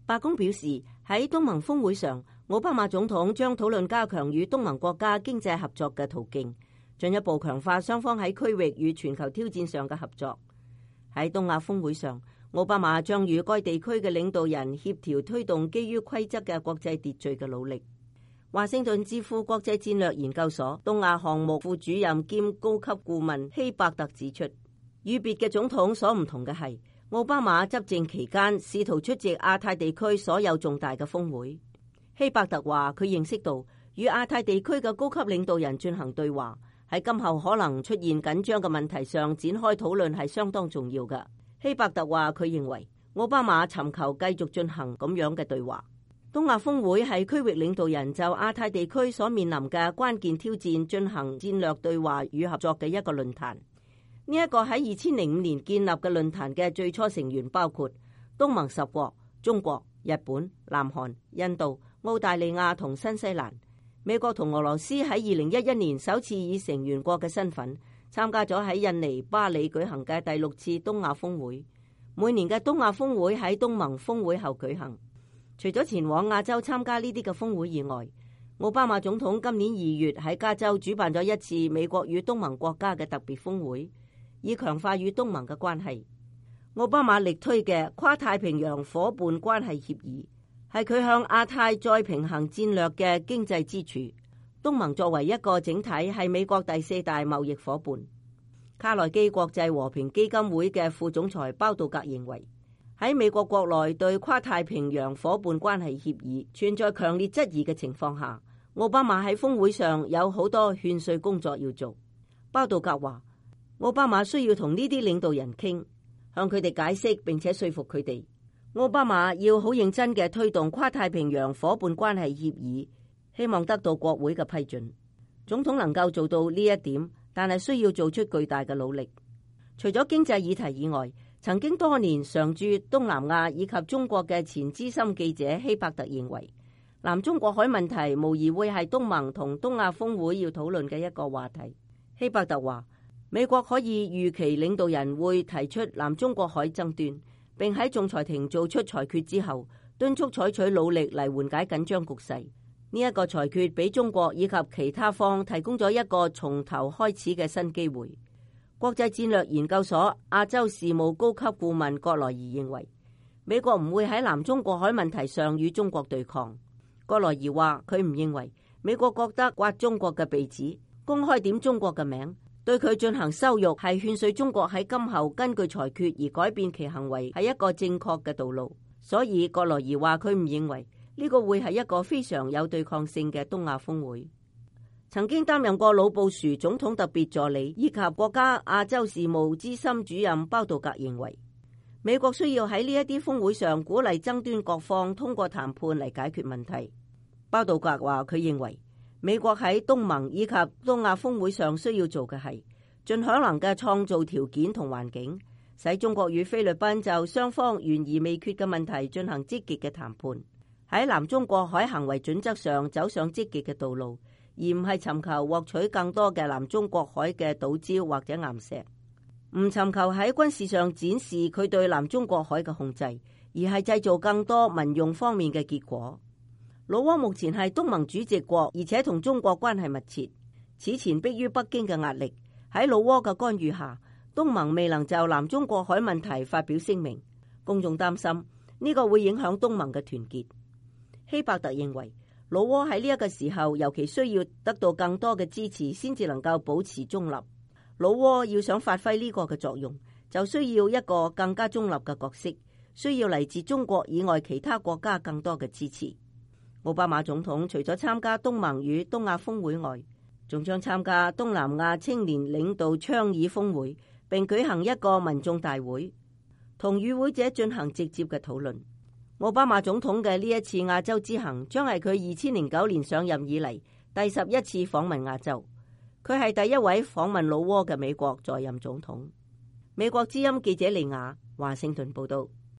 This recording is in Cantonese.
白宮表示，喺東盟峰會上，奧巴馬總統將討論加強與東盟國家經濟合作嘅途徑，進一步強化雙方喺區域與全球挑戰上嘅合作。喺東亞峰會上，奧巴馬將與該地區嘅領導人協調推動基於規則嘅國際秩序嘅努力。華盛頓智庫國際戰略研究所東亞項目副主任兼高級顧問希伯特指出，與別嘅總統所唔同嘅係，奧巴馬執政期間試圖出席亞太地區所有重大嘅峰會。希伯特話，佢認識到與亞太地區嘅高級領導人進行對話，喺今後可能出現緊張嘅問題上展開討論係相當重要嘅。希伯特話，佢認為奧巴馬尋求繼續進行咁樣嘅對話。東亞峰會係區域領導人就亞太地區所面臨嘅關鍵挑戰進行戰略對話與合作嘅一個論壇。呢一個喺2005年建立嘅論壇嘅最初成員包括東盟10國、中國、日本、南韓、印度、澳大利亞同新西蘭。美國同俄羅斯喺2011年首次以成員國嘅身份參加咗喺印尼巴里舉行嘅第6次東亞峰會。每年嘅東亞峰會喺東盟峰會後舉行。除咗前往亞洲參加呢啲嘅峰會以外，奧巴馬總統今年2月喺加州主辦咗一次美國與東盟國家嘅特別峰會，以強化與東盟嘅關係。奧巴馬力推嘅跨太平洋夥伴關係協議係佢向亞太再平衡戰略嘅經濟支柱。東盟作為一個整體係美國第4大貿易夥伴。卡內基國際和平基金會嘅副總裁包道格認為，喺美國國內對跨太平洋夥伴關係協議存在強烈質疑嘅情況下，奧巴馬喺峰會上有好多勸說工作要做。包道格話，奧巴馬需要同呢啲領導人傾，向佢哋解釋並且說服佢哋。奧巴馬要好認真嘅推動跨太平洋夥伴關係協議，希望得到國會嘅批准。總統能夠做到呢一點，但係需要做出巨大嘅努力。除咗經濟議題以外，曾經多年常駐東南亞以及中國嘅前資深記者希伯特認為，南中國海問題無疑會係東盟同東亞峰會要討論嘅一個話題。希伯特話，美國可以預期領導人會提出南中國海爭端，並喺仲裁庭做出裁決之後，敦促採取努力嚟緩解緊張局勢。呢一個裁決俾中國以及其他方提供咗一個從頭開始嘅新機會。國際戰略研究所亞洲事務高級顧問葛萊儀認為，美國唔會喺南中國海問題上與中國對抗。葛萊儀話，佢唔認為美國覺得刮中國嘅鼻子，公開點中國嘅名，對佢進行羞辱，係勸說中國喺今後根據裁決而改變其行為，係一個正確嘅道路。所以葛萊儀話，佢唔認為呢個會係一個非常有對抗性嘅東亞峰會。曾經擔任過老布殊總統特別助理以及國家亞洲事務資深主任包道格認為，美國需要喺呢一啲峰會上鼓勵爭端各方通過談判嚟解決問題。包道格話，佢認為美國喺東盟以及東亞峰會上需要做嘅係盡可能嘅創造條件同環境，使中國與菲律賓就雙方懸而未決嘅問題進行積極嘅談判，喺南中國海行為準則上走上積極嘅道路，而唔係尋求獲取更多嘅南中國海嘅島礁或者岩石，唔尋求喺軍事上展示佢對南中國海嘅控制，而係製造更多民用方面嘅結果。老撾目前係東盟主席國，而且同中國關係密切。此前迫於北京嘅壓力，喺老撾嘅干預下，東盟未能就南中國海問題發表聲明。公眾擔心呢個會影響東盟嘅團結。希伯特認為，老撾喺呢一個時候尤其需要得到更多嘅支持，先至能夠保持中立。老撾要想發揮呢個嘅作用，就需要一個更加中立嘅角色，需要嚟自中國以外其他國家更多嘅支持。奧巴馬總統除咗參加東盟與東亞峰會外，仲將參加東南亞青年領導倡議峰會，並舉行一個民眾大會，同與會者進行直接嘅討論。奧巴馬總統嘅呢一次亞洲之行，將係佢2009年上任以嚟第11次訪問亞洲。佢係第一位訪問老撾嘅美國在任總統。美國之音記者利亞華盛頓報道。